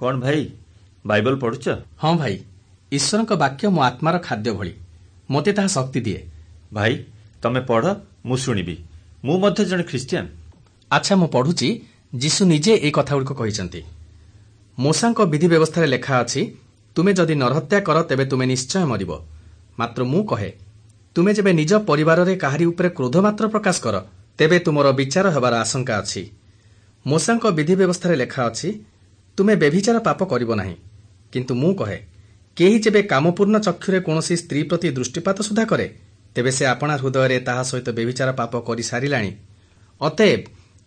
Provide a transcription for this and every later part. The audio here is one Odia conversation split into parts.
କଣ ଭାଇ, ବାଇବଲ ପଢୁଛ? ହଁ ଭାଇ, ଈଶ୍ୱରଙ୍କ ବାକ୍ୟ ମୋ ଆତ୍ମାର ଖାଦ୍ୟ ଭଳି, ମୋତେ ତାହା ଶକ୍ତି ଦିଏ। ଭାଇ, ତମେ ପଢ, ମୁଁ ଶୁଣିବି। ମୁଁ ମଧ୍ୟ ଜଣେ ଖ୍ରୀଷ୍ଟିଆନ। ଆଚ୍ଛା, ମୁଁ ପଢୁଛି। ଯୀଶୁ ନିଜେ ଏହି କଥାଗୁଡ଼ିକ କହିଛନ୍ତି। ମୋଶାଙ୍କ ବିଧି ବ୍ୟବସ୍ଥାରେ ଲେଖା ଅଛି, ତୁମେ ଯଦି ନରହତ୍ୟା କର ତେବେ ତୁମେ ନିଶ୍ଚୟ ମରିବ। ମାତ୍ର ମୁଁ କହେ, ତୁମେ ଯେବେ ନିଜ ପରିବାରରେ କାହାରି ଉପରେ କ୍ରୋଧ ମାତ୍ର ପ୍ରକାଶ କର, ତେବେ ତୁମର ବିଚାର ହେବାର ଆଶଙ୍କା ଅଛି। ମୋଶାଙ୍କ ବିଧି ବ୍ୟବସ୍ଥାରେ ଲେଖା ଅଛି, ତୁମେ ବ୍ୟଭିଚାର ପାପ କରିବ ନାହିଁ। କିନ୍ତୁ ମୁଁ କହେ, କେହି ଯେବେ କାମପୂର୍ଣ୍ଣ ଚକ୍ଷୁରେ କୌଣସି ସ୍ତ୍ରୀ ପ୍ରତି ଦୃଷ୍ଟିପାତ ସୁଦ୍ଧା କରେ, ତେବେ ସେ ଆପଣା ହୃଦୟରେ ତାହା ସହିତ ବ୍ୟଭିଚାର ପାପ କରିସାରିଲାଣି। ଅତଏବ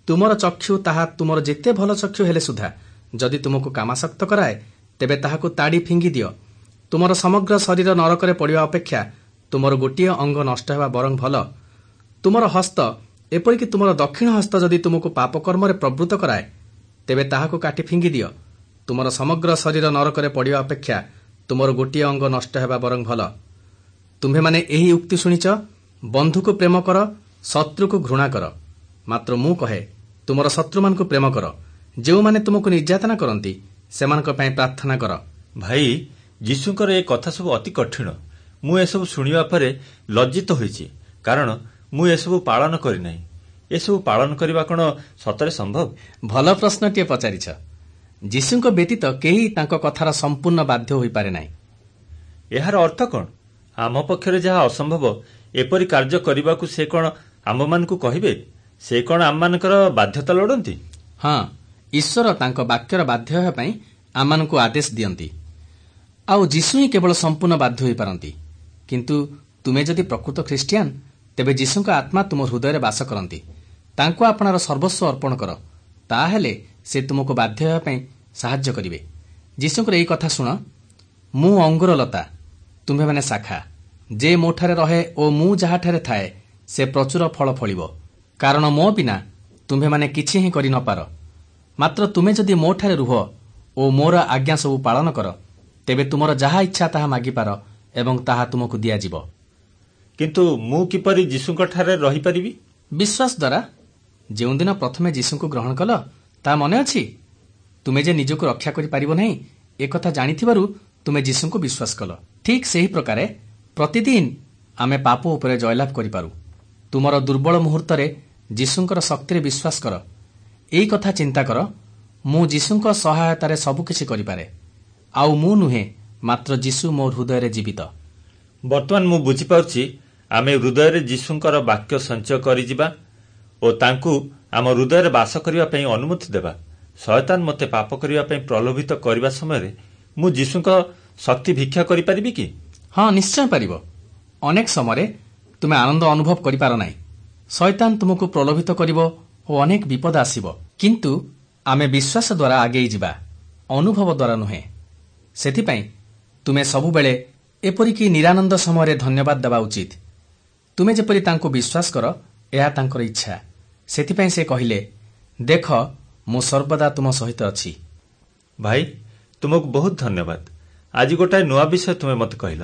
ତୁମର ଚକ୍ଷୁ, ତାହା ତୁମର ଯେତେ ଭଲ ଚକ୍ଷୁ ହେଲେ ସୁଦ୍ଧା, ଯଦି ତୁମକୁ କାମାସକ୍ତ କରାଏ, ତେବେ ତାହାକୁ ତାଡ଼ି ଫିଙ୍ଗି ଦିଅ। ତୁମର ସମଗ୍ର ଶରୀର ନରକରେ ପଡ଼ିବା ଅପେକ୍ଷା ତୁମର ଗୋଟିଏ ଅଙ୍ଗ ନଷ୍ଟ ହେବା ବରଂ ଭଲ। ତୁମର ହସ୍ତ, ଏପରିକି ତୁମର ଦକ୍ଷିଣ ହସ୍ତ ଯଦି ତୁମକୁ ପାପକର୍ମରେ ପ୍ରବୃତ୍ତ କରାଏ, ତେବେ ତାହାକୁ କାଟି ଫିଙ୍ଗି ଦିଅ। ତୁମର ସମଗ୍ର ଶରୀର ନରକରେ ପଡ଼ିବା ଅପେକ୍ଷା ତୁମର ଗୋଟିଏ ଅଙ୍ଗ ନଷ୍ଟ ହେବା ବରଂ ଭଲ। ତୁମ୍ଭେମାନେ ଏହି ଉକ୍ତି ଶୁଣିଛ, ବନ୍ଧୁକୁ ପ୍ରେମ କର, ଶତ୍ରୁକୁ ଘୃଣା କର। ମାତ୍ର ମୁଁ କହେ, ତୁମର ଶତ୍ରୁମାନଙ୍କୁ ପ୍ରେମ କର, ଯେଉଁମାନେ ତୁମକୁ ନିର୍ଯାତନା କରନ୍ତି ସେମାନଙ୍କ ପାଇଁ ପ୍ରାର୍ଥନା କର। ଭାଇ, ଯୀଶୁଙ୍କର ଏ କଥା ସବୁ ଅତି କଠିନ। ମୁଁ ଏସବୁ ଶୁଣିବା ପରେ ଲଜ୍ଜିତ ହୋଇଛି, କାରଣ ମୁଁ ଏସବୁ ପାଳନ କରିନାହିଁ। ଏସବୁ ପାଳନ କରିବା କଣ ସତରେ ସମ୍ଭବ? ଭଲ ପ୍ରଶ୍ନଟିଏ ପଚାରିଛ। ଯୀଶୁଙ୍କ ବ୍ୟତୀତ କେହି ତାଙ୍କ କଥାର ସମ୍ପୂର୍ଣ୍ଣ ବାଧ୍ୟ ହୋଇପାରେ ନାହିଁ। ଏହାର ଅର୍ଥ କଣ? ଆମ ପକ୍ଷରେ ଯାହା ଅସମ୍ଭବ, ଏପରି କାର୍ଯ୍ୟ କରିବାକୁ ସେ କଣ ଆମ୍ଭମାନଙ୍କୁ କହିବେ? ସେ କଣ ଆମମାନଙ୍କର ବାଧ୍ୟତା ଲୋଡ଼ନ୍ତି? ହଁ, ଈଶ୍ୱର ତାଙ୍କ ବାକ୍ୟର ବାଧ୍ୟ ହେବା ପାଇଁ ଆମମାନଙ୍କୁ ଆଦେଶ ଦିଅନ୍ତି। ଆଉ ଯୀଶୁ ହିଁ କେବଳ ସମ୍ପୂର୍ଣ୍ଣ ବାଧ୍ୟ ହୋଇପାରନ୍ତି। କିନ୍ତୁ ତୁମେ ଯଦି ପ୍ରକୃତ ଖ୍ରୀଷ୍ଟିଆନ, ତେବେ ଯୀଶୁଙ୍କ ଆତ୍ମା ତୁମ ହୃଦୟରେ ବାସ କରନ୍ତି। ତାଙ୍କୁ ଆପଣାର ସର୍ବସ୍ୱ ଅର୍ପଣ କର, ତାହେଲେ ସେ ତୁମକୁ ବାଧ୍ୟ ହେବା ପାଇଁ ସାହାଯ୍ୟ କରିବେ। ଯୀଶୁଙ୍କର ଏହି କଥା ଶୁଣ, ମୁଁ ଅଙ୍ଗୁରଲତା, ତୁମ୍ଭେମାନେ ଶାଖା। ଯେ ମୋଠାରେ ରହେ ଓ ମୁଁ ଯାହାଠାରେ ଥାଏ, ସେ ପ୍ରଚୁର ଫଳ ଫଳିବ। କାରଣ ମୋ ବିନା ତୁମ୍ଭେମାନେ କିଛି ହିଁ କରି ନପାର। ମାତ୍ର ତୁମେ ଯଦି ମୋଠାରେ ରୁହ ଓ ମୋର ଆଜ୍ଞା ସବୁ ପାଳନ କର, ତେବେ ତୁମର ଯାହା ଇଚ୍ଛା ତାହା ମାଗିପାର ଏବଂ ତାହା ତୁମକୁ ଦିଆଯିବ। କିନ୍ତୁ ମୁଁ କିପରି ଯୀଶୁଙ୍କଠାରେ ରହିପାରିବି? ବିଶ୍ୱାସ ଦ୍ୱାରା। ଯେଉଁଦିନ ପ୍ରଥମେ ଯୀଶୁଙ୍କୁ ଗ୍ରହଣ କଲ, ତାହା ମନେ ଅଛି? ତୁମେ ଯେ ନିଜକୁ ରକ୍ଷା କରିପାରିବ ନାହିଁ, ଏକଥା ଜାଣିଥିବାରୁ ତୁମେ ଯୀଶୁଙ୍କୁ ବିଶ୍ୱାସ କଲ। ଠିକ୍ ସେହି ପ୍ରକାରେ ପ୍ରତିଦିନ ଆମେ ପାପ ଉପରେ ଜୟଲାଭ କରିପାରୁ। ତୁମର ଦୁର୍ବଳ ମୁହୂର୍ତ୍ତରେ ଯୀଶୁଙ୍କର ଶକ୍ତିରେ ବିଶ୍ୱାସ କର। ଏଇ କଥା ଚିନ୍ତା କର, ମୁଁ ଯୀଶୁଙ୍କ ସହାୟତାରେ ସବୁକିଛି କରିପାରେ। ଆଉ ମୁଁ ନୁହେଁ, ମାତ୍ର ଯୀଶୁ ମୋ ହୃଦୟରେ ଜୀବିତ। ବର୍ତ୍ତମାନ ମୁଁ ବୁଝିପାରୁଛି, ଆମେ ହୃଦୟରେ ଯୀଶୁଙ୍କର ବାକ୍ୟ ସଞ୍ଚୟ କରିଯିବା ଓ ତାଙ୍କୁ ଆମ ହୃଦୟରେ ବାସ କରିବା ପାଇଁ ଅନୁମତି ଦେବା। ଶୟତାନ ମୋତେ ପାପ କରିବା ପାଇଁ ପ୍ରଲୋଭିତ କରିବା ସମୟରେ ମୁଁ ଯୀଶୁଙ୍କ ଶକ୍ତି ଭିକ୍ଷା କରିପାରିବି କି? ହଁ, ନିଶ୍ଚୟ ପାରିବ। ଅନେକ ସମୟରେ ତୁମେ ଆନନ୍ଦ ଅନୁଭବ କରିପାର ନାହିଁ। ଶୟତାନ ତୁମକୁ ପ୍ରଲୋଭିତ କରିବ ଓ ଅନେକ ବିପଦ ଆସିବ। କିନ୍ତୁ ଆମେ ବିଶ୍ୱାସ ଦ୍ୱାରା ଆଗେଇ ଯିବା, ଅନୁଭବ ଦ୍ୱାରା ନୁହେଁ। ସେଥିପାଇଁ ତୁମେ ସବୁବେଳେ, ଏପରିକି ନିରାନନ୍ଦ ସମୟରେ ଧନ୍ୟବାଦ ଦେବା ଉଚିତ। ତୁମେ ଯେପରି ତାଙ୍କୁ ବିଶ୍ୱାସ କର, ଏହା ତାଙ୍କର ଇଚ୍ଛା। ସେଥିପାଇଁ ସେ କହିଲେ, ଦେଖ, ମୁଁ ସର୍ବଦା ତୁମ ସହିତ ଅଛି। ଭାଇ, ତୁମକୁ ବହୁତ ଧନ୍ୟବାଦ। ଆଜି ଗୋଟାଏ ନୂଆ ବିଷୟ ତୁମେ ମୋତେ କହିଲ।